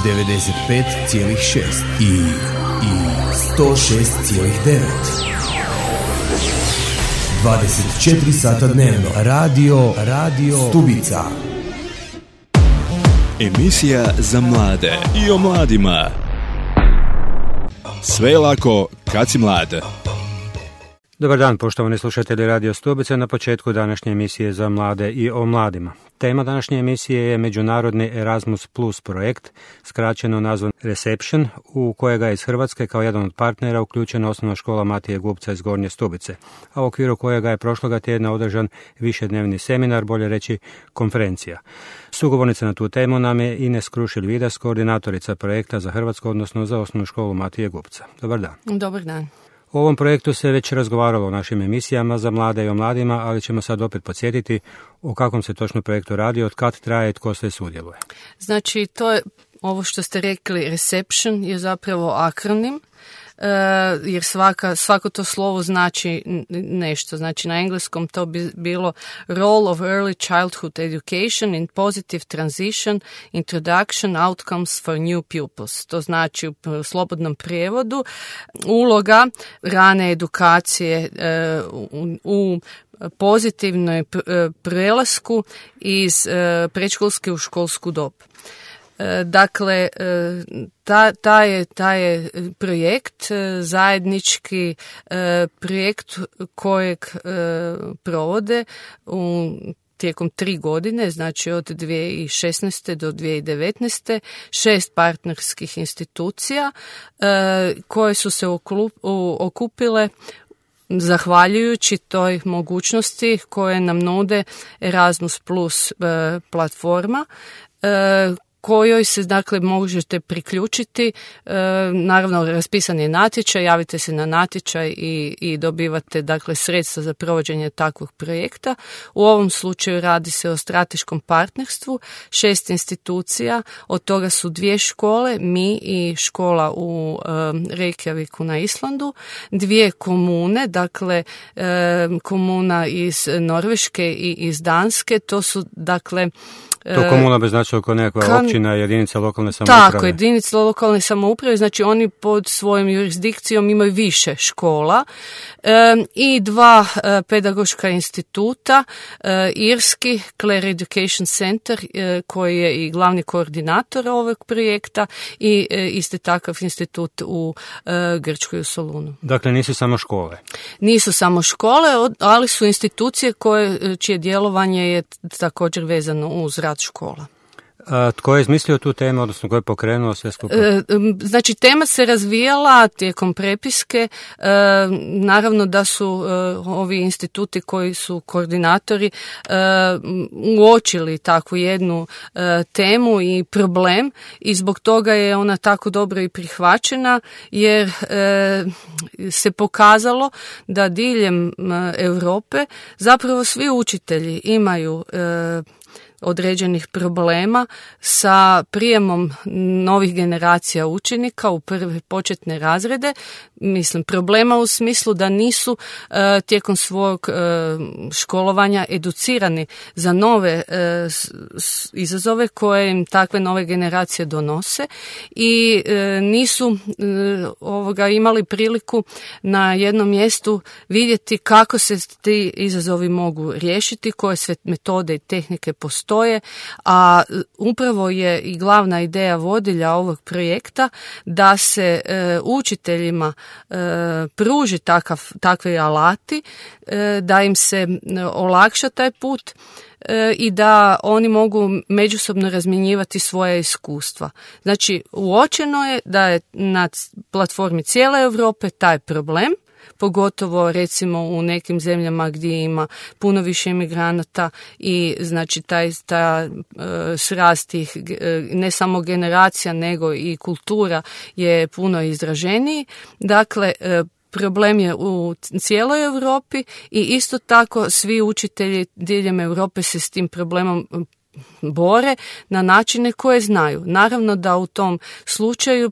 95,6 i 106,9. 24 sata dnevno. Radio Stubica. Emisija za mlade i o mladima. Sve je lako kad si mlad. Dobar dan, poštovani slušatelji Radio Stubice, na početku današnje emisije za mlade i o mladima. Tema današnje emisije je Međunarodni Erasmus Plus projekt, skraćeno nazvan Reception, u kojega je iz Hrvatske kao jedan od partnera uključena osnovna škola Matije Gubca iz Gornje Stubice, a u okviru kojega je prošloga tjedna održan višednevni seminar, bolje reći konferencija. Sugovornica na tu temu nam je Ines Krušelj-Vidas, koordinatorica projekta za Hrvatsku, odnosno za osnovnu školu Matije Gubca. Dobar dan. Dobar dan. O ovom projektu se već razgovaralo u našim emisijama za mlade i o mladima, ali ćemo sad opet podsjetiti o kakvom se točno projektu radi, od kad traje i tko sve sudjeluje. Znači, to je ovo što ste rekli, Reception je zapravo akronim, jer svako to slovo znači nešto. Znači, na engleskom to bi bilo Role of Early Childhood Education in Positive Transition, Introduction, Outcomes for New Pupils. To znači u slobodnom prijevodu uloga rane edukacije u pozitivnoj prelasku iz predškolske u školsku dob. Dakle, taj je projekt, zajednički projekt kojeg provode tijekom 3 godine, znači od 2016. do 2019. 6 partnerskih institucija koje su se okupile zahvaljujući toj mogućnosti koje nam nude Erasmus Plus platforma, kojoj se dakle možete priključiti. Naravno, raspisan je natječaj, javite se na natječaj i dobivate dakle sredstva za provođenje takvog projekta. U ovom slučaju radi se o strateškom partnerstvu 6 institucija, od toga su 2 škole, mi i škola u Reykjaviku na Islandu, 2 komune, dakle komuna iz Norveške i iz Danske, to su dakle to komuna bi značilo kao nekakva općina, jedinica lokalne samouprave. Tako, jedinica lokalne samouprave, znači oni pod svojom jurisdikcijom imaju više škola i 2 pedagoška instituta, irski Clare Education Center koji je i glavni koordinator ovog projekta i isti takav institut u Grčkoj u Solunu. Dakle, nisu samo škole. Nisu samo škole, ali su institucije čije djelovanje je također vezano uz rad škola. Tko je izmislio tu temu, odnosno tko je pokrenuo sve skupa? Znači, tema se razvijala tijekom prepiske. Naravno da su ovi instituti koji su koordinatori uočili takvu jednu temu i problem i zbog toga je ona tako dobro i prihvaćena, jer se pokazalo da diljem Europe zapravo svi učitelji imaju određenih problema sa prijemom novih generacija učenika u prve početne razrede. Mislim, problema u smislu da nisu tijekom svog školovanja educirani za nove izazove koje im takve nove generacije donose i nisu imali priliku na jednom mjestu vidjeti kako se ti izazovi mogu riješiti, koje sve metode i tehnike postoje, a upravo je i glavna ideja vodilja ovog projekta da se učiteljima pruži takvi alati, da im se olakša taj put i da oni mogu međusobno razmjenjivati svoje iskustva. Znači, uočeno je da je na platformi cijele Europe taj problem, pogotovo recimo u nekim zemljama gdje ima puno više imigranata i znači ta srast tih ne samo generacija nego i kultura je puno izraženiji. Dakle, problem je u cijeloj Europi i isto tako svi učitelji diljem Europe se s tim problemom bore na načine koje znaju. Naravno da u tom slučaju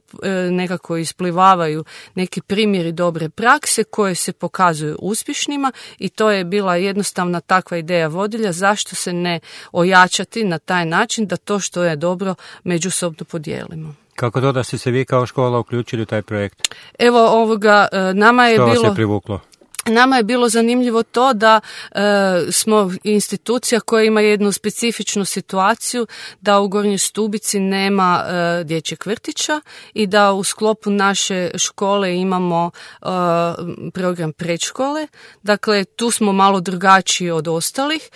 nekako isplivavaju neki primjeri dobre prakse koje se pokazuju uspješnima i to je bila jednostavna takva ideja vodilja, zašto se ne ojačati na taj način da to što je dobro međusobno podijelimo. Kako to da ste se vi kao škola uključili u taj projekt? Evo nama je što bilo... vas je privuklo? Nama je bilo zanimljivo to da smo institucija koja ima jednu specifičnu situaciju, da u Gornjoj Stubici nema dječjeg vrtića i da u sklopu naše škole imamo program predškole. Dakle, tu smo malo drugačiji od ostalih.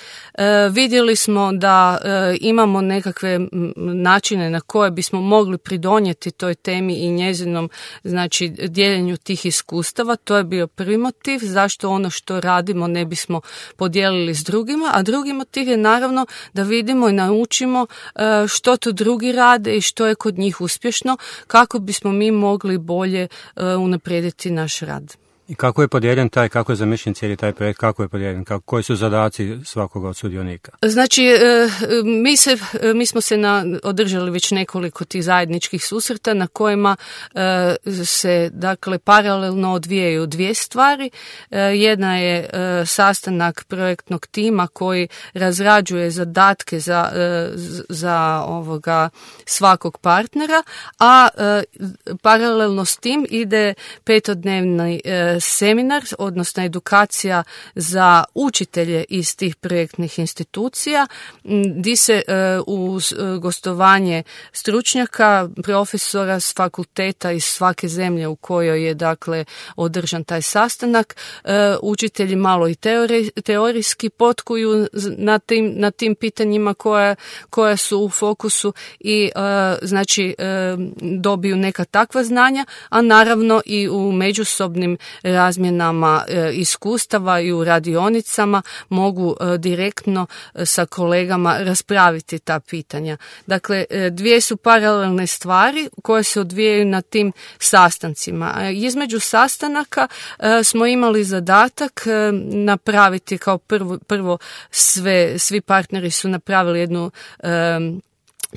Vidjeli smo da imamo nekakve načine na koje bismo mogli pridonijeti toj temi i njezinom, znači, dijeljenju tih iskustava. To je bio prvi motiv. Zašto ono što radimo ne bismo podijelili s drugima, a drugi motiv je naravno da vidimo i naučimo što to drugi rade i što je kod njih uspješno, kako bismo mi mogli bolje unaprijediti naš rad. I kako je podijeljen kako je zamišljen cijeli taj projekt, kako je podijeljen, koji su zadaci svakoga od sudionika? Znači, mi smo se održali već nekoliko tih zajedničkih susreta na kojima se, dakle, paralelno odvijaju dvije stvari. Jedna je sastanak projektnog tima koji razrađuje zadatke za svakog partnera, a paralelno s tim ide 5-dnevni seminar, odnosno edukacija za učitelje iz tih projektnih institucija, gdje se uz gostovanje stručnjaka, profesora s fakulteta iz svake zemlje u kojoj je, dakle, održan taj sastanak, učitelji malo i teorijski potkuju na tim pitanjima koja su u fokusu i znači dobiju neka takva znanja, a naravno i u međusobnim razmjenama iskustava i u radionicama mogu direktno sa kolegama raspraviti ta pitanja. Dakle, dvije su paralelne stvari koje se odvijaju na tim sastancima. Između sastanaka smo imali zadatak napraviti kao prvo svi partneri su napravili jednu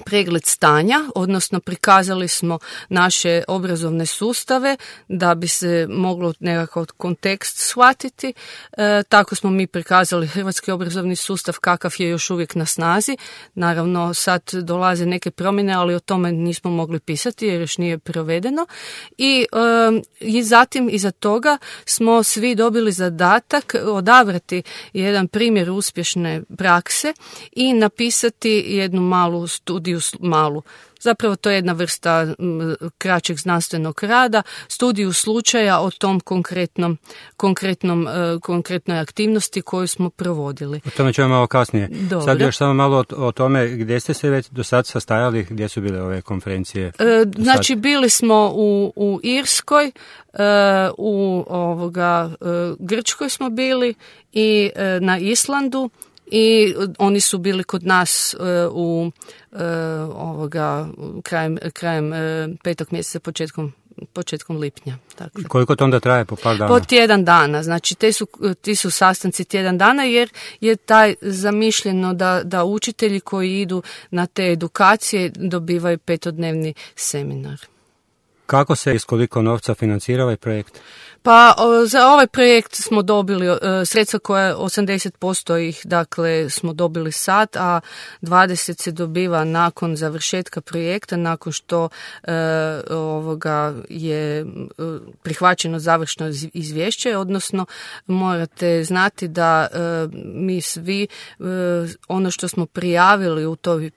pregled stanja, odnosno prikazali smo naše obrazovne sustave da bi se moglo nekakav kontekst shvatiti. Tako smo mi prikazali hrvatski obrazovni sustav kakav je još uvijek na snazi. Naravno, sad dolaze neke promjene, ali o tome nismo mogli pisati jer još nije provedeno. I zatim iza toga smo svi dobili zadatak odabrati jedan primjer uspješne prakse i napisati jednu malu studiju. Zapravo to je jedna vrsta kraćeg znanstvenog rada, studiju slučaja o tom konkretnoj aktivnosti koju smo provodili. O tome ćemo malo kasnije. Dobro. Sad još samo malo o tome gdje ste se već do sad sastajali, gdje su bile ove konferencije? Znači, bili smo u Irskoj, u Grčkoj smo bili i na Islandu. I oni su bili kod nas krajem 5. mjeseca, početkom lipnja. Dakle. Koliko to onda traje, po par dana? Po tjedan dana, znači ti su sastanci tjedan dana jer je taj zamišljeno da učitelji koji idu na te edukacije dobivaju 5-dnevni seminar. Kako se i s koliko novca financira ovaj projekt? Pa za ovaj projekt smo dobili sredstva koja 80% ih, dakle, smo dobili sad, a 20 se dobiva nakon završetka projekta, nakon što je prihvaćeno završno izvješće, odnosno morate znati da mi svi ono što smo prijavili u toj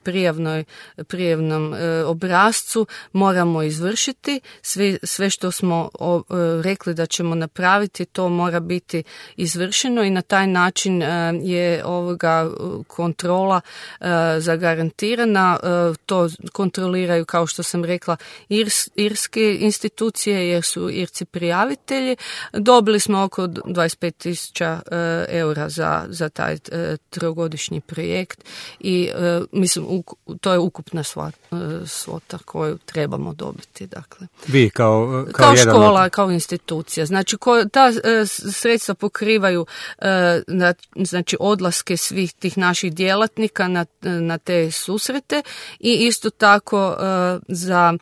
prijavnom obrascu moramo izvršiti, sve što smo rekli da ćemo napraviti, to mora biti izvršeno i na taj način je kontrola zagarantirana. To kontroliraju, kao što sam rekla, irske institucije jer su Irci prijavitelji. Dobili smo oko 25.000 eura za taj trogodišnji projekt i mislim to je ukupna svota koju trebamo dobiti. Dakle. Vi kao škola, kao institucija. Znači ta sredstva pokrivaju znači odlaske svih tih naših djelatnika na te susrete i isto tako za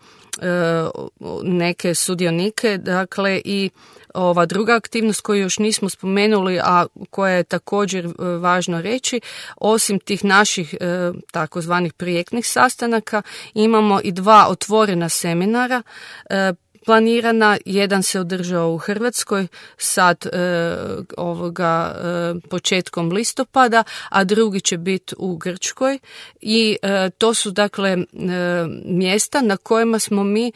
neke sudionike, dakle i ova druga aktivnost koju još nismo spomenuli, a koja je također važno reći, osim tih naših takozvanih projektnih sastanaka, imamo i 2 otvorena seminara planirana. Jedan se održao u Hrvatskoj sad početkom listopada, a drugi će biti u Grčkoj i to su dakle mjesta na kojima smo mi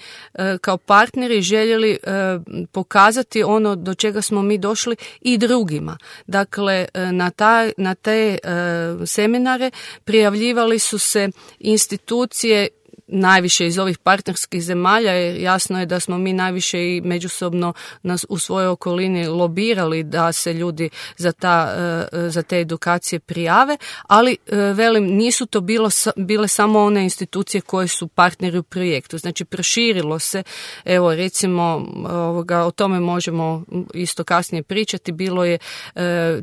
kao partneri željeli pokazati ono do čega smo mi došli i drugima. Dakle, na te seminare prijavljivali su se institucije najviše iz ovih partnerskih zemalja. Jasno je da smo mi najviše i međusobno u svojoj okolini lobirali da se ljudi za te edukacije prijave, ali velim, nisu to bile samo one institucije koje su partneri u projektu. Znači, proširilo se, evo recimo, o tome možemo isto kasnije pričati,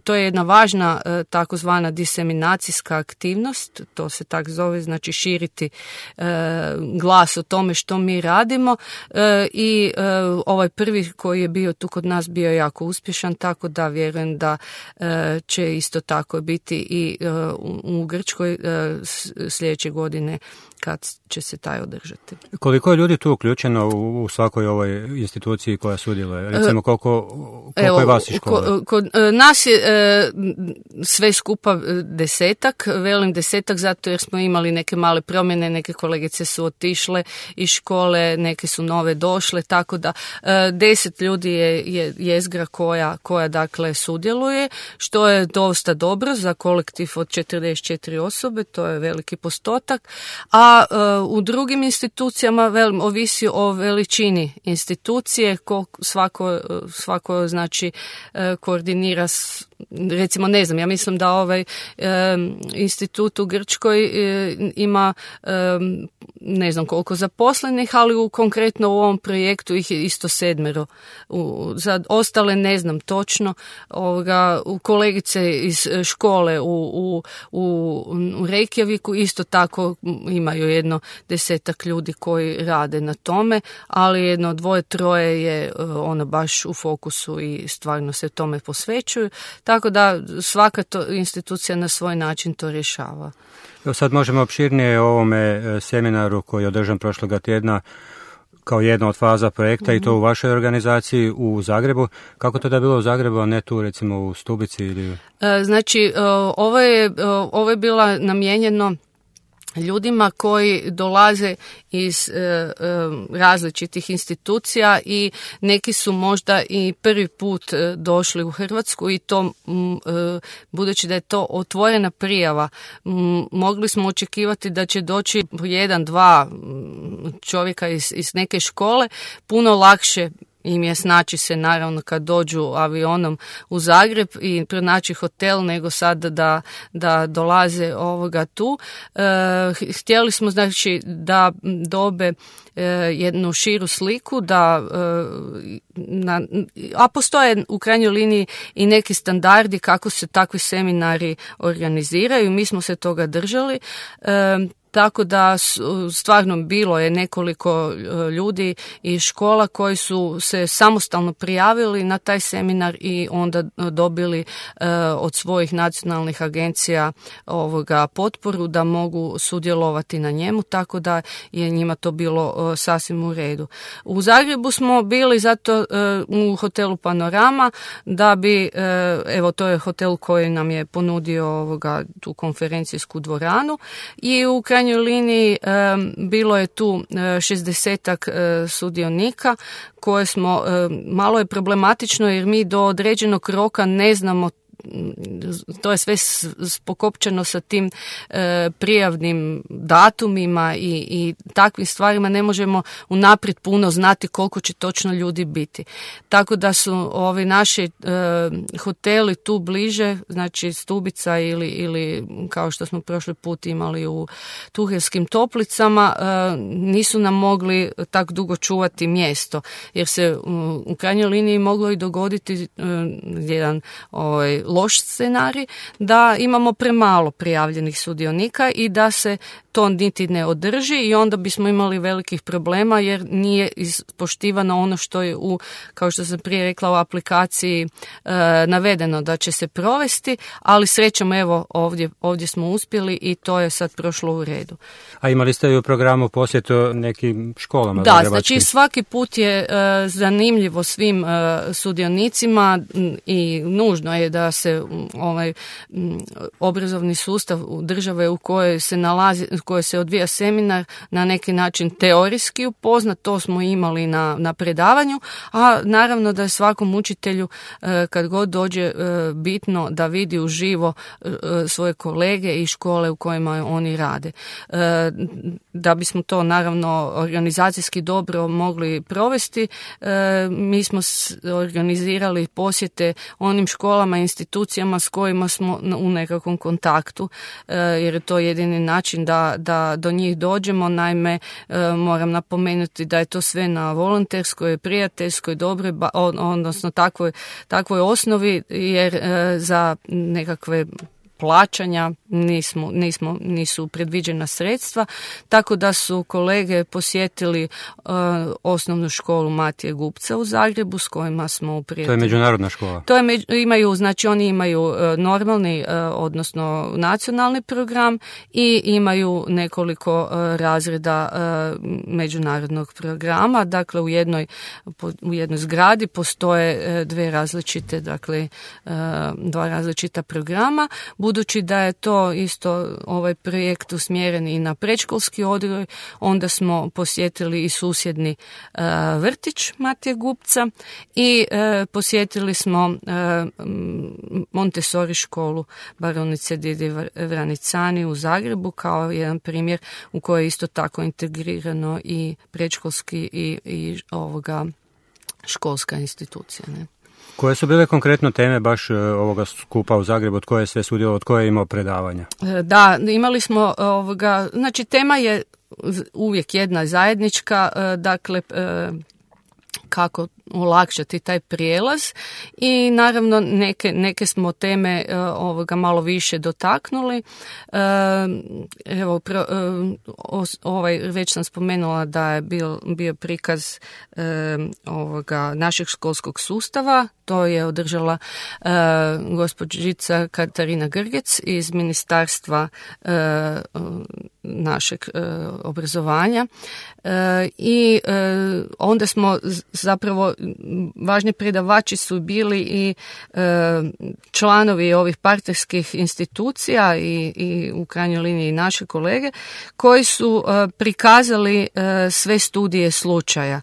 to je jedna važna takozvana diseminacijska aktivnost, to se tak zove, znači širiti glas o tome što mi radimo i ovaj prvi koji je bio tu kod nas bio jako uspješan, tako da vjerujem da će isto tako biti i u Grčkoj sljedeće godine kad će se taj održati. Koliko je ljudi tu uključeno u svakoj ovoj instituciji koja sudjeluje? Recimo koliko je vas iz škole? Kod nas je sve skupa 10, velim 10 zato jer smo imali neke male promjene, neke kolegice su otišle iz škole, neke su nove došle, tako da 10 ljudi je jezgra koja dakle sudjeluje, što je dosta dobro za kolektiv od 44 osobe, to je veliki postotak, a u drugim institucijama ovisi o veličini institucije, svako znači koordinira recimo, ne znam, ja mislim da ovaj institut u Grčkoj ima ne znam koliko zaposlenih, ali konkretno u ovom projektu ih je isto 7. Za ostale ne znam točno. U kolegice iz škole u Reykjaviku isto tako imaju jedno 10 ljudi koji rade na tome, ali 1, 2, 3 je ono baš u fokusu i stvarno se tome posvećuju. Tako da svaka institucija na svoj način to rješava. Sad možemo opširnije o ovome seminaru koji je održan prošloga tjedna kao jedna od faza projekta i to u vašoj organizaciji u Zagrebu. Kako to da je bilo u Zagrebu, a ne tu recimo u Stubici? Ili... Znači, ovo je bila namijenjeno ljudima koji dolaze iz različitih institucija i neki su možda i prvi put došli u Hrvatsku i to budući da je to otvorena prijava, mogli smo očekivati da će doći 1-2 čovjeka iz neke škole, puno lakše im je snaći se naravno kad dođu avionom u Zagreb i pronaći hotel nego sad da dolaze tu. Htjeli smo znači da dobe jednu širu sliku, a postoje u krajnjoj liniji i neki standardi kako se takvi seminari organiziraju. Mi smo se toga držali. Tako da stvarno bilo je nekoliko ljudi iz škola koji su se samostalno prijavili na taj seminar i onda dobili od svojih nacionalnih agencija potporu da mogu sudjelovati na njemu, tako da je njima to bilo sasvim u redu. U Zagrebu smo bili zato u hotelu Panorama da bi, evo to je hotel koji nam je ponudio tu konferencijsku dvoranu i u krajnjoj liniji bilo je tu 60 sudionika koje smo, malo je problematično jer mi do određenog roka ne znamo to je sve pokopčano sa tim prijavnim datumima i takvim stvarima. Ne možemo unaprijed puno znati koliko će točno ljudi biti. Tako da su ovi naši hoteli tu bliže, znači Stubica ili kao što smo prošli put imali u Tuheljskim Toplicama, nisu nam mogli tako dugo čuvati mjesto, jer se u krajnjoj liniji moglo i dogoditi jedan loš scenarij, da imamo premalo prijavljenih sudionika i da se to niti ne održi i onda bismo imali velikih problema jer nije ispoštivano ono što je kao što sam prije rekla, u aplikaciji navedeno da će se provesti, ali srećom evo ovdje smo uspjeli i to je sad prošlo u redu. A imali ste i u programu posjetu nekim školama? Da, znači svaki put je zanimljivo svim sudionicima i nužno je da se obrazovni sustav države u kojoj se nalazi, u kojoj se odvija seminar na neki način teorijski upoznat, to smo imali na predavanju, a naravno da je svakom učitelju kad god dođe bitno da vidi uživo svoje kolege i škole u kojima oni rade. Da bismo to naravno organizacijski dobro mogli provesti, mi smo organizirali posjete onim školama i institucijama s kojima smo u nekakvom kontaktu, jer je to jedini način da do njih dođemo. Naime, moram napomenuti da je to sve na volonterskoj, prijateljskoj, dobroj, odnosno takvoj osnovi, jer za nekakve plaćanja nisu predviđena sredstva, tako da su kolege posjetili osnovnu školu Matije Gubca u Zagrebu s kojima smo u prijatelju. To je međunarodna škola? Oni imaju normalni, odnosno nacionalni program i imaju nekoliko razreda međunarodnog programa. Dakle, u jednoj zgradi postoje dva različita programa. Budući da je to isto ovaj projekt usmjeren i na predškolski odgoj, onda smo posjetili i susjedni vrtić Matije Gubca i posjetili smo Montessori školu baronice Didi Vranicani u Zagrebu kao jedan primjer u kojoj je isto tako integrirano i predškolski i školska institucija. Ne? Koje su bile konkretno teme baš ovoga skupa u Zagrebu, od koje je sve sudjelovao, od koje je imao predavanja? Da, imali smo znači tema je uvijek jedna zajednička, dakle kako olakšati taj prijelaz i naravno neke smo teme malo više dotaknuli. Već sam spomenula da je bio prikaz našeg školskog sustava. To je održala gospođica Katarina Grgec iz Ministarstva našeg obrazovanja i onda smo zapravo, važni predavači su bili i članovi ovih partnerskih institucija i u krajnjoj liniji naše kolege koji su prikazali sve studije slučaja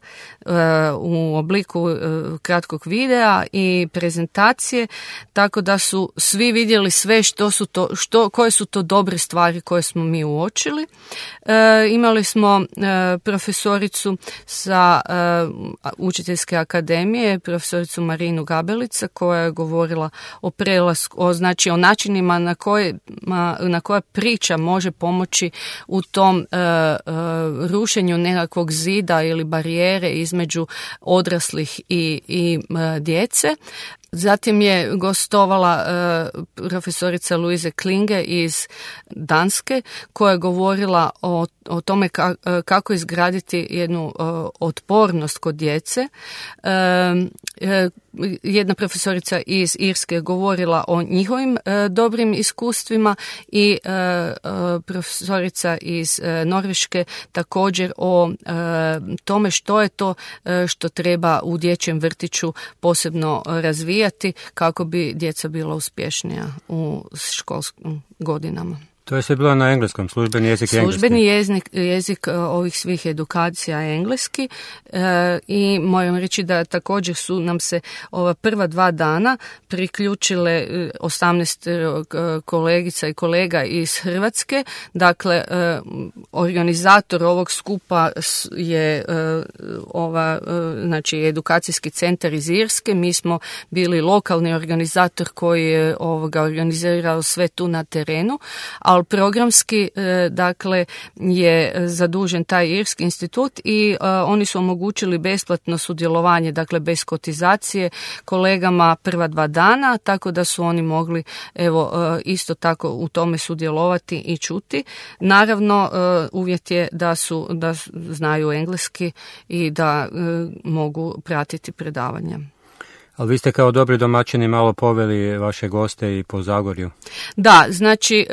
u obliku kratkog videa i prezentacije, tako da su svi vidjeli sve koje su to dobre stvari koje smo mi uočili. Imali smo profesoricu sa Učiteljske akademije, profesoricu Marinu Gabelica, koja je govorila o prelasku, o načinima na koja priča može pomoći u tom rušenju nekakvog zida ili barijere između odraslih i djece. Zatim je gostovala profesorica Louise Klinge iz Danske, koja je govorila o tome kako izgraditi jednu otpornost kod djece. Jedna profesorica iz Irske je govorila o njihovim dobrim iskustvima i profesorica iz Norveške također o tome što je to što treba u dječjem vrtiću posebno razvijati kako bi djeca bila uspješnija u školskim godinama. To je sve bilo na engleskom, službeni jezik je engleski. Službeni jezik ovih svih edukacija je engleski i moram reći da također su nam se ova prva 2 dana priključile 18 kolegica i kolega iz Hrvatske. Dakle, organizator ovog skupa je znači edukacijski centar iz Irske. Mi smo bili lokalni organizator koji je organizirao sve tu na terenu, ali programski dakle je zadužen taj Irski institut i oni su omogućili besplatno sudjelovanje, dakle bez kotizacije kolegama prva 2 dana, tako da su oni mogli isto tako u tome sudjelovati i čuti. Naravno, uvjet je da znaju engleski i da mogu pratiti predavanja. Ali vi ste kao dobri domaćini malo poveli vaše goste i po Zagorju. Da, znači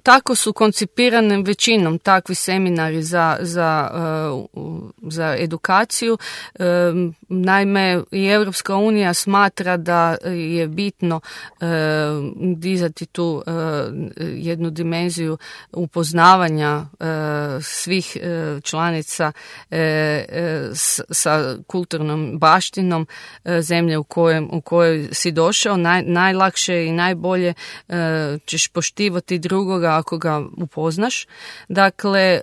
tako su koncipirane većinom takvi seminari za edukaciju. Naime, i Europska unija smatra da je bitno dizati tu jednu dimenziju upoznavanja svih članica sa kulturnom baštinom zemlje u kojoj si došao. Najlakše i najbolje ćeš poštivati drugoga ako ga upoznaš. Dakle,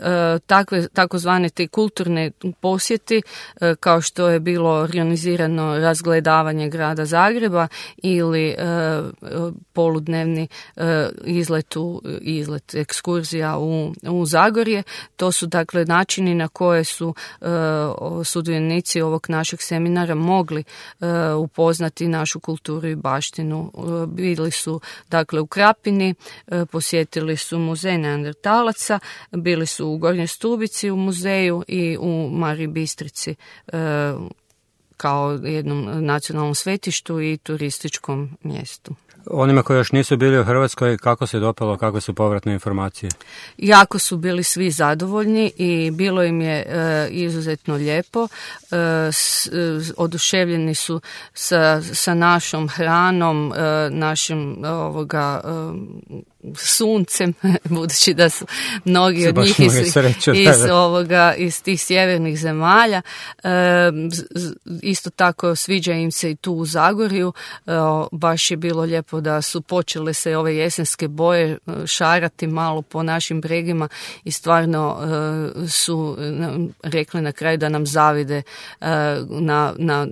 takozvane te kulturne posjeti, kao što je bilo organizirano razgledavanje grada Zagreba ili poludnevni izlet ekskurzija u Zagorje, to su dakle načini na koje su sudionici ovog našeg seminara mogli upoznati našu kulturu i baštinu. Bili su dakle u Krapini, posjetili su muzej Neandertalaca, bili su u Gornjoj Stubici u muzeju i u Mariji Bistrici kao jednom nacionalnom svetištu i turističkom mjestu. Onima koji još nisu bili u Hrvatskoj, kako se dopalo, kakve su povratne informacije? Jako su bili svi zadovoljni i bilo im je izuzetno lijepo. Oduševljeni su sa našom hranom, našim suncem, budući da su mnogi od njih iz tih sjevernih zemalja. Isto tako sviđa im se i tu u Zagorju. Baš je bilo lijepo da su počele se ove jesenske boje šarati malo po našim bregima i stvarno su rekli na kraju da nam zavide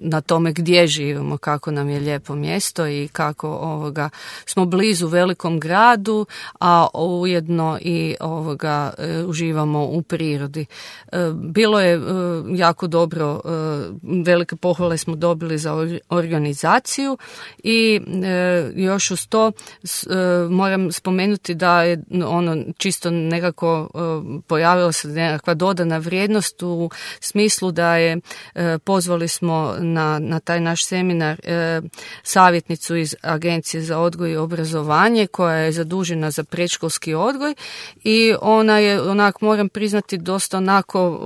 na tome gdje živimo, kako nam je lijepo mjesto i kako smo blizu velikom gradu, a ujedno i uživamo u prirodi. Bilo je jako dobro, velike pohvale smo dobili za organizaciju i još uz to moram spomenuti da je čisto nekako pojavila se nekakva dodana vrijednost u smislu da je pozvali smo na taj naš seminar savjetnicu iz Agencije za odgoj i obrazovanje koja je zadužena za predškolski odgoj i ona je moram priznati dosta onako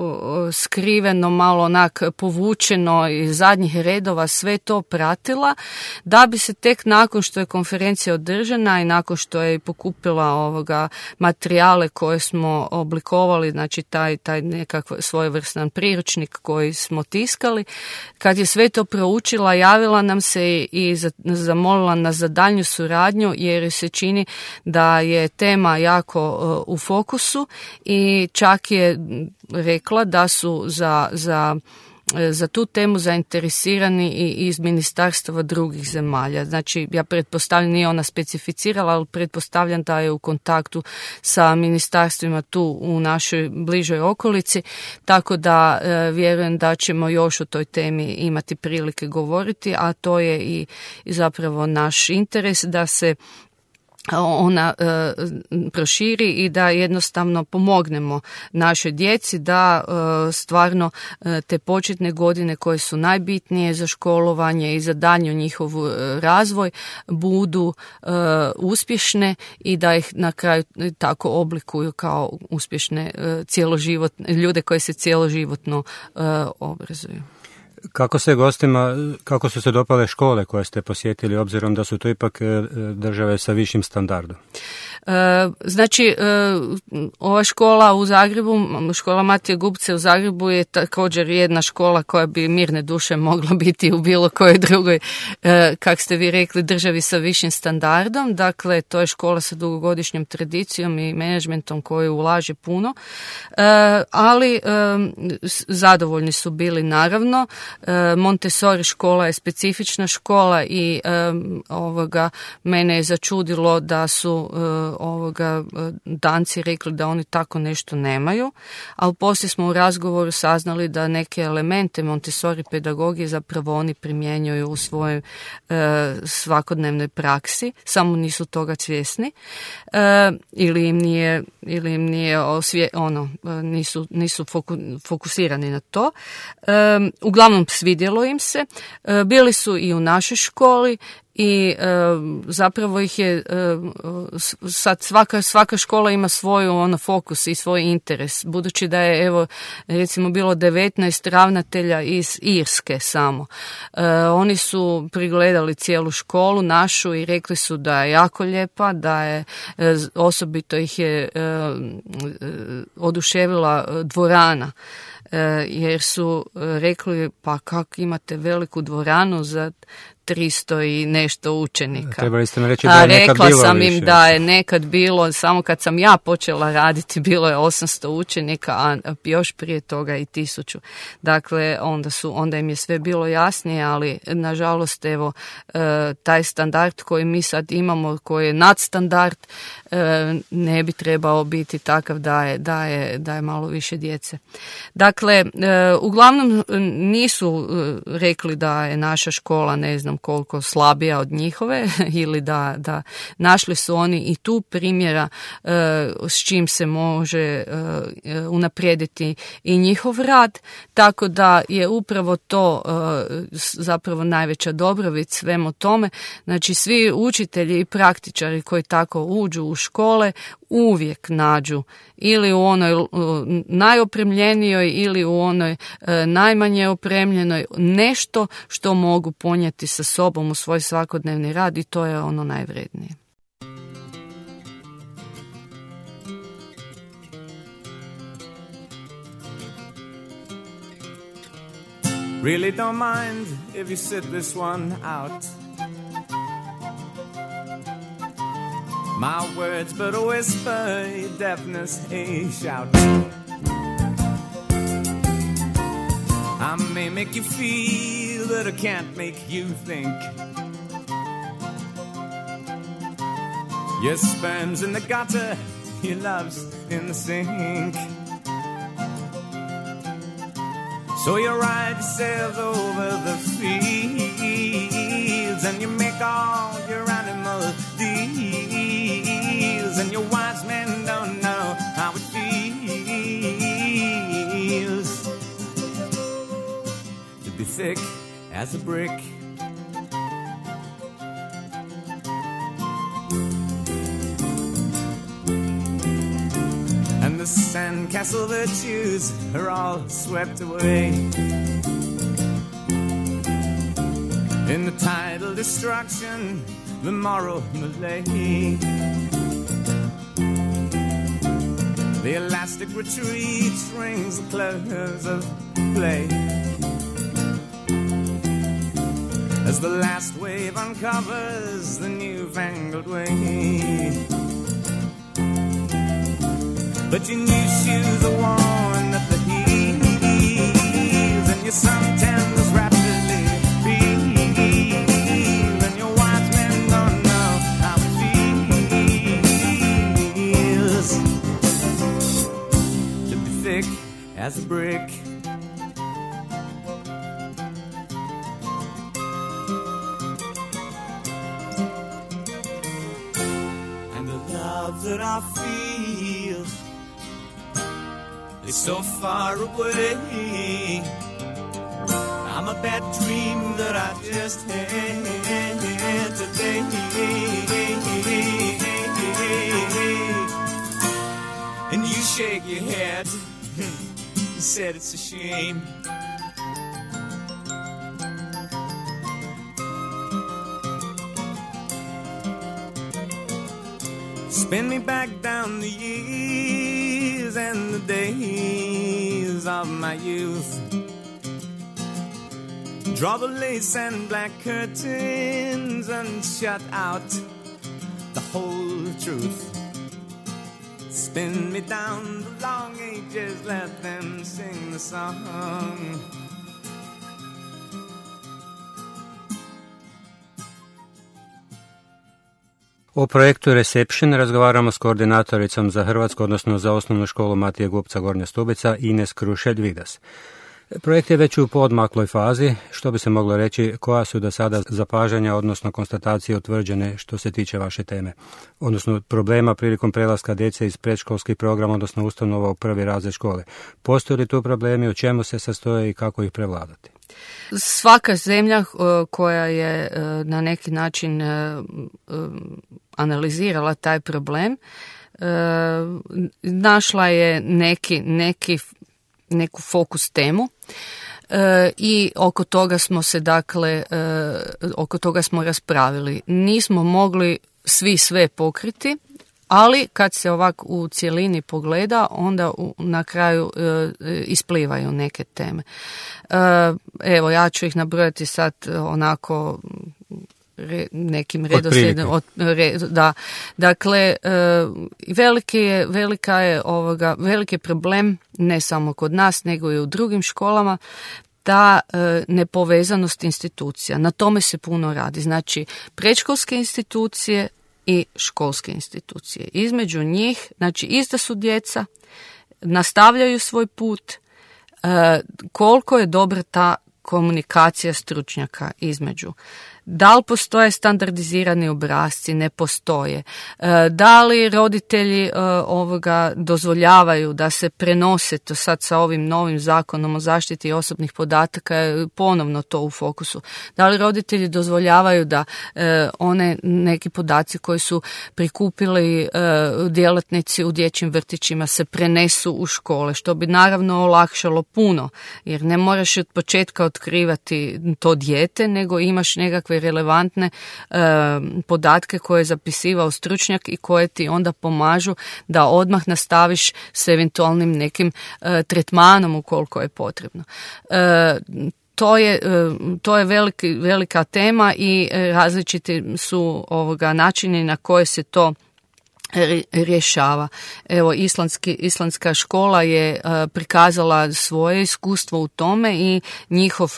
skriveno, malo povučeno iz zadnjih redova sve to pratila, da bi se tek nakon što je konferencija održana i nakon što je pokupila materijale koje smo oblikovali, znači taj nekakav svojevrstan priručnik koji smo tiskali, kad je sve to proučila, javila nam se i zamolila nas za daljnju suradnju jer se čini da je tema jako u fokusu i čak je rekla da su za tu temu zainteresirani i iz ministarstva drugih zemalja. Znači, ja pretpostavljam, nije ona specificirala, ali pretpostavljam da je u kontaktu sa ministarstvima tu u našoj bližoj okolici, tako da vjerujem da ćemo još o toj temi imati prilike govoriti, a to je i zapravo naš interes da se ona proširi i da jednostavno pomognemo našoj djeci da stvarno te početne godine koje su najbitnije za školovanje i za daljnji njihov razvoj budu uspješne i da ih na kraju tako oblikuju kao uspješne ljude koji se cjeloživotno obrazuju. Kako su se dopale škole koje ste posjetili, obzirom da su to ipak države sa višim standardom? Znači, ova škola u Zagrebu, škola Matije Gubce u Zagrebu je također jedna škola koja bi mirne duše mogla biti u bilo kojoj drugoj, kak ste vi rekli, državi sa višim standardom. Dakle, to je škola sa dugogodišnjom tradicijom i menadžmentom koji ulaže puno, ali zadovoljni su bili naravno. Montessori škola je specifična škola i mene je začudilo da su Danci rekli da oni tako nešto nemaju, ali poslije smo u razgovoru saznali da neke elemente Montessori pedagogije zapravo oni primjenjuju u svojoj svakodnevnoj praksi, samo nisu toga svjesni ili im nije nisu fokusirani na to. Uglavnom svidjelo im se. Bili su i u našoj školi i zapravo ih je sad svaka škola ima svoju fokus i svoj interes, budući da je recimo bilo 19 ravnatelja iz Irske samo. Oni su prigledali cijelu školu našu i rekli su da je jako lijepa, da je osobito ih je oduševila dvorana, jer su rekli pa kako imate veliku dvoranu za 300 i nešto učenika. Trebali ste mi reći da je nekad bilo rekla sam više. im da je nekad bilo, samo kad sam ja počela raditi, bilo je 800 učenika, a još prije toga i 1000. Dakle, onda im je sve bilo jasnije, ali nažalost, taj standard koji mi sad imamo, koji je nadstandard, ne bi trebao biti takav da je malo više djece. Dakle, uglavnom nisu rekli da je naša škola, ne znam koliko, slabija od njihove ili da našli su oni i tu primjera s čim se može unaprijediti i njihov rad, tako da je upravo to zapravo najveća dobrobit svemu tome. Znači, svi učitelji i praktičari koji tako uđu u škole uvijek nađu ili u onoj najopremljenijoj ili u onoj najmanje opremljenoj nešto što mogu ponijeti sa sobom u svoj svakodnevni rad, i to je ono najvrednije. Really don't mind if you sit this one out. My words but a whisper, your deafness a shout. I may make you feel, but I can't make you think. Your sperm's in the gutter, your love's in the sink. So you ride yourself over the fields and you make all your animal deals, and your wise men don't know how it feels to be thick as a brick. And the sandcastle virtues are all swept away in the tidal destruction, the moral malaise. The elastic retreat rings the close of play as the last wave uncovers the newfangled way. But your new shoes are worn at the heels, and your suntan was rapidly peeled, and your wise men don't know how it feels to be thick as a brick. And the love that I feel is so far away. I'm a bad dream that I just had today. And you shake your head, you said it's a shame. Spin me back down the years and the days of my youth. Draw the lace and black curtains and shut out the whole truth. Spin me down the long ages, let them sing the song. O projektu Reception razgovaramo s koordinatoricom za Hrvatsku, odnosno za osnovnu školu Matije Gupca Gornja Stubica, Ines Krušelj-Vidas. Projekt je već u poodmakloj fazi, što bi se moglo reći, koja su do sada zapažanja, odnosno konstatacije utvrđene što se tiče vaše teme, odnosno problema prilikom prelaska djece iz predškolskih programa, odnosno ustanova u prvi razred škole. Postoje li tu problemi, u čemu se sastoje i kako ih prevladati? Svaka zemlja koja je na neki način analizirala taj problem, našla je neku fokus temu i oko toga smo se oko toga smo raspravili. Nismo mogli svi sve pokriti, ali kad se ovako u cjelini pogleda, onda na kraju isplivaju neke teme. Evo, ja ću ih nabrojati sad onako nekim redoslijedom. Dakle, veliki je problem ne samo kod nas, nego i u drugim školama, ta nepovezanost institucija. Na tome se puno radi. Znači, predškolske institucije i školske institucije. Između njih, znači, ista su djeca, nastavljaju svoj put, koliko je dobra ta komunikacija stručnjaka između. Da li postoje standardizirani obrasci? Ne postoje. Da li roditelji dozvoljavaju da se prenose, to sad sa ovim novim zakonom o zaštiti osobnih podataka je ponovno to u fokusu. Da li roditelji dozvoljavaju da one neki podaci koji su prikupili djelatnici u dječjim vrtićima se prenesu u škole, što bi naravno olakšalo puno, jer ne moraš od početka otkrivati to dijete, nego imaš nekakve relevantne podatke koje je zapisivao stručnjak i koje ti onda pomažu da odmah nastaviš s eventualnim nekim tretmanom ukoliko je potrebno. To je velika tema i različiti su načini na koje se to rješava. Evo, islandska škola je prikazala svoje iskustvo u tome i njihov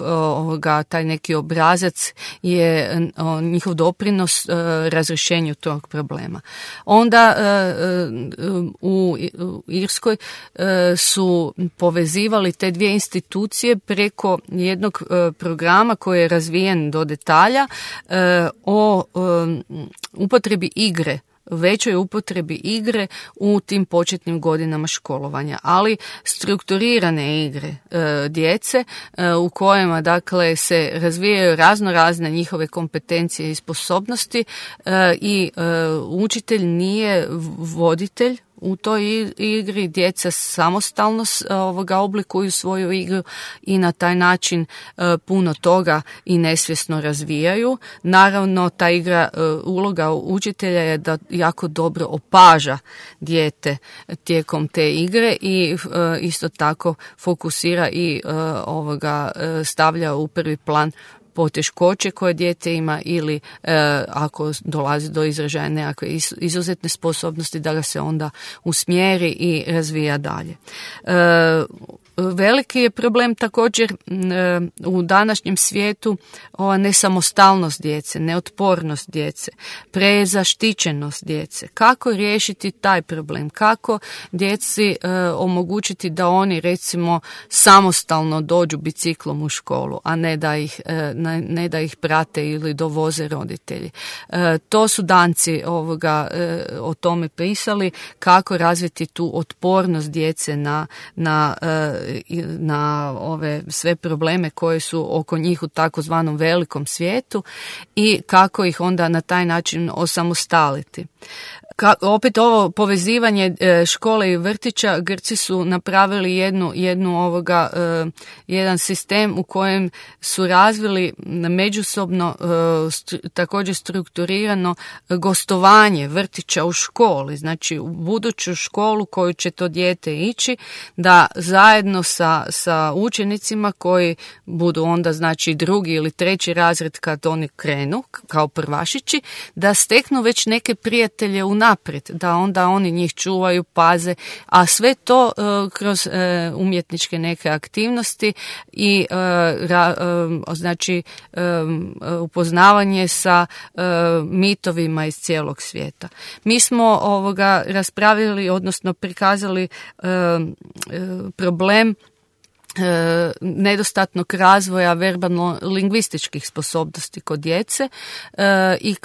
taj neki obrazac je njihov doprinos razrješenju tog problema. Onda u Irskoj su povezivali te dvije institucije preko jednog programa koji je razvijen do detalja o upotrebi igre, većoj upotrebi igre u tim početnim godinama školovanja, ali strukturirane igre djece u kojima dakle se razvijaju razne njihove kompetencije i sposobnosti i učitelj nije voditelj u toj igri, djeca samostalno oblikuju svoju igru i na taj način puno toga i nesvjesno razvijaju. Naravno, ta igra, uloga učitelja je da jako dobro opaža dijete tijekom te igre i isto tako fokusira i stavlja u prvi plan poteškoće koje dijete ima ili ako dolazi do izražaja nekakve izuzetne sposobnosti da ga se onda usmjeri i razvija dalje. Veliki je problem također u današnjem svijetu ova nesamostalnost djece, neotpornost djece, prezaštićenost djece. Kako riješiti taj problem? Kako djeci omogućiti da oni recimo samostalno dođu biciklom u školu, a ne da ih prate ili dovoze roditelji. To su Danci o tome pisali, kako razviti tu otpornost djece na na ove sve probleme koje su oko njih u takozvanom velikom svijetu i kako ih onda na taj način osamostaliti. Opet ovo povezivanje škole i vrtića, Grci su napravili jedan sistem u kojem su razvili međusobno također strukturirano gostovanje vrtića u školi, znači u buduću školu koju će to dijete ići, da zajedno sa učenicima koji budu onda znači drugi ili treći razred kad oni krenu kao prvašići, da steknu već neke prijatelje unaprijed, da onda oni njih čuvaju, paze, a sve to kroz umjetničke neke aktivnosti i upoznavanje sa mitovima iz cijelog svijeta. Mi smo raspravili, odnosno prikazali problem nedostatnog razvoja verbalno-lingvističkih sposobnosti kod djece i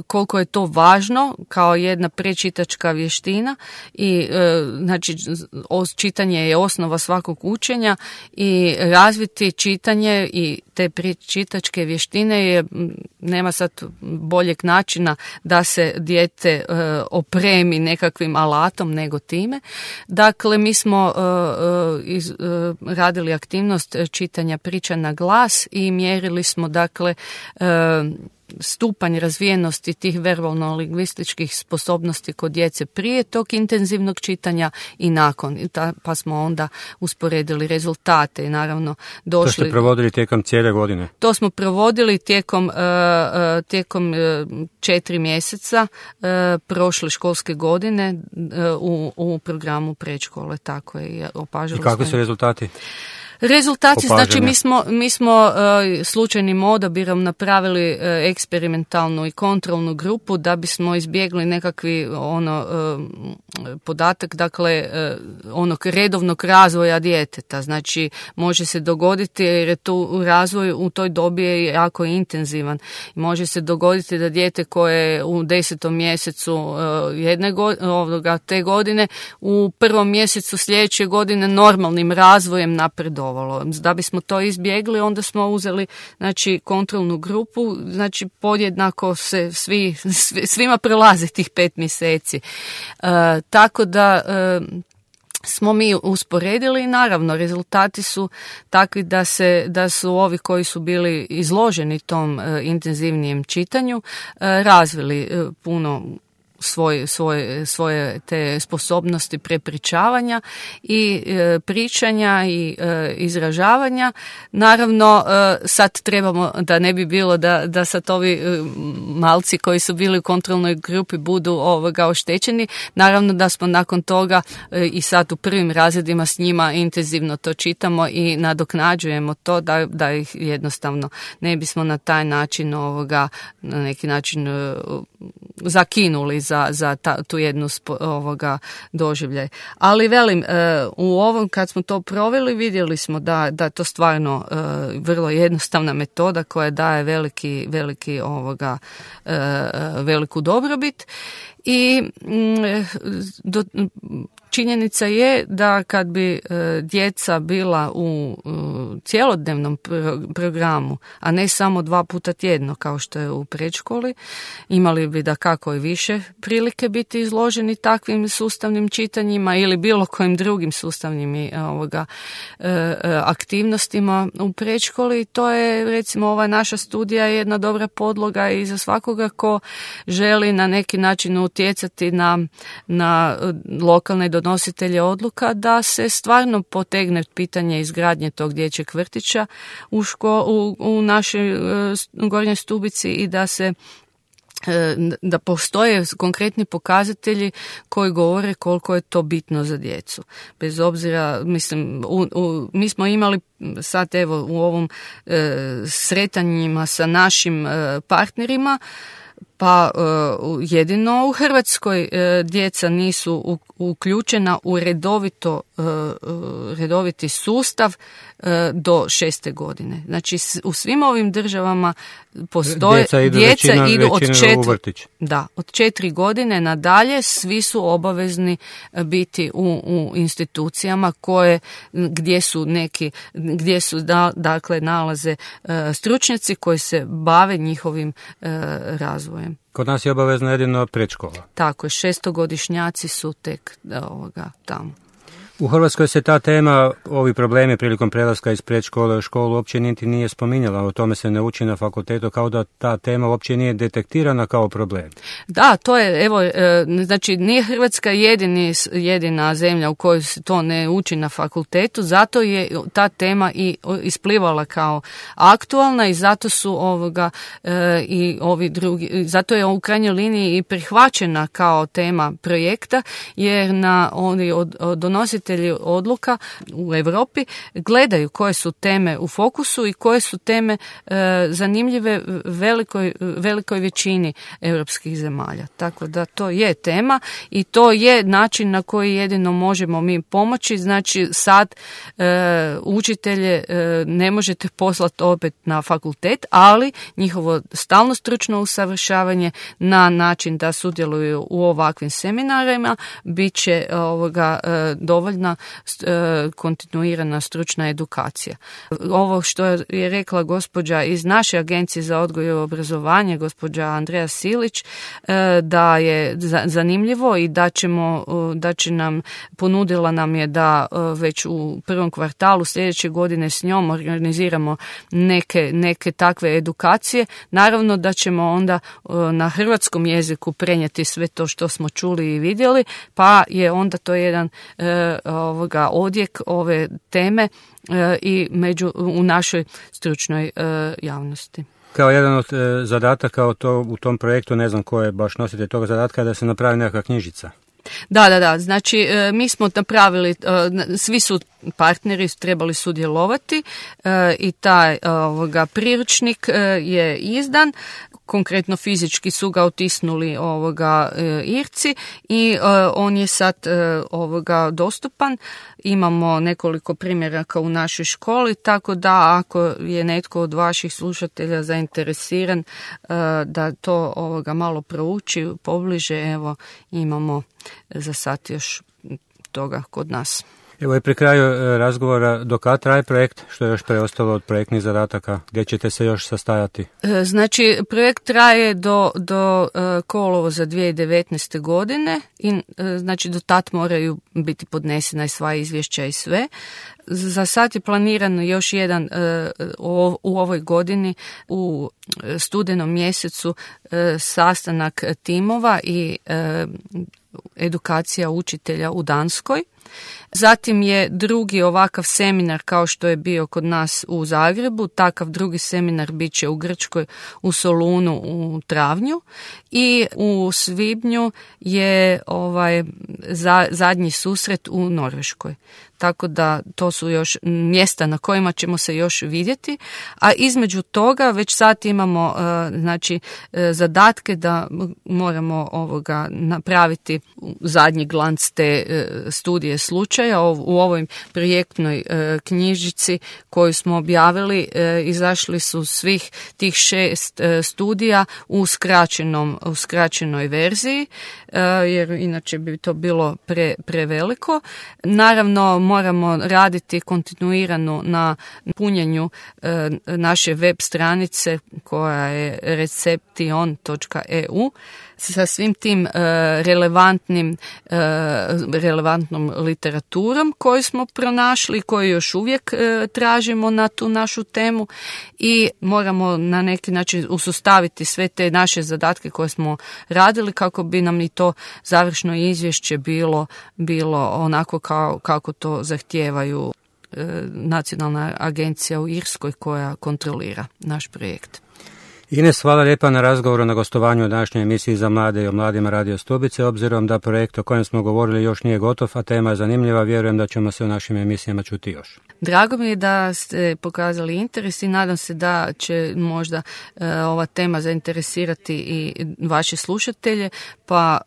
koliko je to važno kao jedna prečitačka vještina i znači čitanje je osnova svakog učenja i razviti čitanje i te prečitačke vještine je, nema sad boljeg načina da se dijete opremi nekakvim alatom nego time. Dakle, mi smo radili aktivnost čitanja priča na glas i mjerili smo dakle stupanj razvijenosti tih verbalno-lingvističkih sposobnosti kod djece prije tog intenzivnog čitanja i nakon. Pa smo onda usporedili rezultate i naravno došli... To ste provodili tijekom cijele godine? To smo provodili tijekom 4 mjeseca prošle školske godine u programu predškole. Tako je. I kakvi su rezultati? Rezultati, znači mi smo slučajnim odabirom napravili eksperimentalnu i kontrolnu grupu da bismo izbjegli nekakvi podatak, dakle onog redovnog razvoja djeteta. Znači može se dogoditi jer je tu razvoj u toj dobi je jako intenzivan. Može se dogoditi da dijete koje je u 10. mjesecu te godine u 1. mjesecu sljedeće godine normalnim razvojem napredovalo. Da bismo to izbjegli, onda smo uzeli znači kontrolnu grupu, znači podjednako se svima prolazi tih 5 mjeseci. Tako da smo mi usporedili i naravno rezultati su takvi da su ovi koji su bili izloženi tom intenzivnijem čitanju razvili puno svoje te sposobnosti prepričavanja i pričanja i izražavanja. Naravno, sad trebamo, da ne bi bilo da sad ovi malci koji su bili u kontrolnoj grupi budu oštećeni. Naravno da smo nakon toga i sad u prvim razredima s njima intenzivno to čitamo i nadoknađujemo to da ih jednostavno ne bismo na taj način na neki način zakinuli za tu jednu doživljaj. Ali velim, u ovom kad smo to proveli vidjeli smo da to stvarno vrlo jednostavna metoda koja daje veliku dobrobit i činjenica je da kad bi djeca bila u cjelodnevnom programu, a ne samo 2 puta tjedno kao što je u predškoli, imali bi dakako i više prilike biti izloženi takvim sustavnim čitanjima ili bilo kojim drugim sustavnim aktivnostima u predškoli. To je recimo ova naša studija je jedna dobra podloga i za svakoga ko želi na neki način utjecati na lokalne donositelje odluka da se stvarno potegne pitanje izgradnje tog dječjeg vrtića u našoj Gornjoj Stubici i da postoje konkretni pokazatelji koji govore koliko je to bitno za djecu. Bez obzira, mislim, mi smo imali sad evo u ovom sretanjima sa našim partnerima Pa jedino u Hrvatskoj djeca nisu uključena u redoviti sustav do 6. godine. Znači u svim ovim državama postoje djeca idu od 4 godine nadalje, svi su obavezni biti u institucijama gdje su dakle nalaze stručnjaci koji se bave njihovim razvojem. Kod nas je obavezno jedino predškola. Tako je, 6-godišnjaci su tek tamo. U Hrvatskoj se ta tema, ovi problemi prilikom prelaska iz predškole u školu uopće niti nije spominjala, o tome se ne uči na fakultetu, kao da ta tema uopće nije detektirana kao problem. Da, to je, znači nije Hrvatska jedina zemlja u kojoj se to ne uči na fakultetu, zato je ta tema i isplivala kao aktualna i zato su i ovi drugi, zato je u krajnjoj liniji i prihvaćena kao tema projekta, jer oni donositelji odluka u Europi gledaju koje su teme u fokusu i koje su teme zanimljive velikoj većini europskih zemalja. Tako da to je tema i to je način na koji jedino možemo mi pomoći. Znači sad učitelje ne možete poslati opet na fakultet, ali njihovo stalno stručno usavršavanje na način da sudjeluju u ovakvim seminarima bit će dovoljna kontinuirana stručna edukacija. Ovo što je rekla gospođa iz naše agencije za odgoj i obrazovanje, gospođa Andreja Silić, da je zanimljivo i ponudila nam je da već u prvom kvartalu sljedeće godine s njom organiziramo neke takve edukacije. Naravno da ćemo onda na hrvatskom jeziku prenijeti sve to što smo čuli i vidjeli, pa je onda to jedan odjek ove teme i u našoj stručnoj javnosti. Kao jedan od zadataka u tom projektu, ne znam ko je baš nositelj toga zadatka, da se napravi nekakva knjižica. Da. Znači, mi smo napravili, svi su partneri trebali sudjelovati i taj priručnik je izdan. Konkretno fizički su ga otisnuli Irci i on je sad dostupan. Imamo nekoliko primjeraka u našoj školi, tako da ako je netko od vaših slušatelja zainteresiran da to malo prouči pobliže, evo imamo za sad još toga kod nas. Evo je pri kraju razgovora, do kada traje projekt, što je još preostalo od projektnih zadataka, gdje ćete se još sastajati? Znači, projekt traje do kolovoza 2019. godine i znači do tad moraju biti podnesena i sva izvješća i sve. Za sad je planirano još jedan u ovoj godini u studenom mjesecu sastanak timova i edukacija učitelja u Danskoj. Zatim je drugi ovakav seminar kao što je bio kod nas u Zagrebu, takav drugi seminar bit će u Grčkoj u Solunu u travnju i u svibnju je zadnji susret u Norveškoj. Tako da to su još mjesta na kojima ćemo se još vidjeti, a između toga već sad imamo zadatke da moramo napraviti zadnji glanc te studije slučaja. U ovoj projektnoj knjižici koju smo objavili izašli su svih tih 6 studija u skraćenoj verziji, jer inače bi to bilo preveliko. Naravno, moramo raditi kontinuirano na punjenju naše web stranice koja je reception.eu sa svim tim relevantnom literaturom koju smo pronašli i koju još uvijek tražimo na tu našu temu i moramo na neki način usustaviti sve te naše zadatke koje smo radili kako bi nam i to završno izvješće bilo onako kako to zahtijevaju Nacionalna agencija u Irskoj koja kontrolira naš projekt. Ines, hvala lijepa na razgovoru, na gostovanju u današnjoj emisiji za mlade i o mladima Radio Stubice. Obzirom da projekt o kojem smo govorili još nije gotov, a tema je zanimljiva, vjerujem da ćemo se u našim emisijama čuti još. Drago mi je da ste pokazali interes i nadam se da će možda ova tema zainteresirati i vaše slušatelje, pa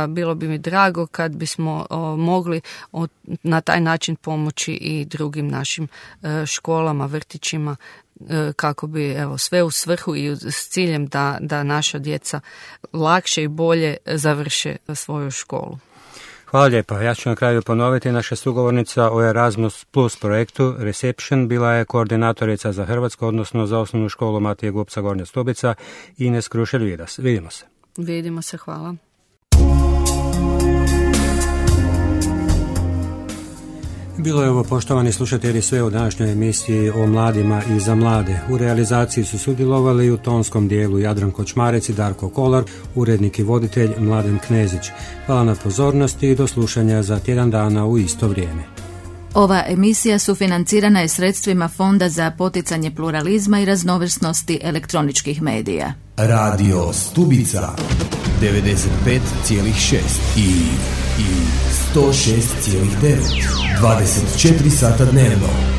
bilo bi mi drago kad bismo mogli na taj način pomoći i drugim našim školama, vrtićima, kako bi sve u svrhu i s ciljem da naša djeca lakše i bolje završe svoju školu. Hvala lijepa. Ja ću na kraju ponoviti, naša sugovornica o Erasmus Plus projektu Reception bila je koordinatorica za Hrvatsku, odnosno za osnovnu školu Matije Gubca Gornja Stubica, Ines Krušelj-Vidas. Vidimo se. Vidimo se, hvala. Bilo je ovo, poštovani slušatelji, sve u današnjoj emisiji o mladima i za mlade. U realizaciji su sudjelovali u tonskom dijelu Jadran Kočmarec i Darko Kolar, urednik i voditelj Mladen Knezić. Hvala na pozornosti i do slušanja za tjedan dana u isto vrijeme. Ova emisija sufinancirana je sredstvima Fonda za poticanje pluralizma i raznovrsnosti elektroničkih medija. Radio Stubica 95,6 i 106,9. 24 sata dnevno.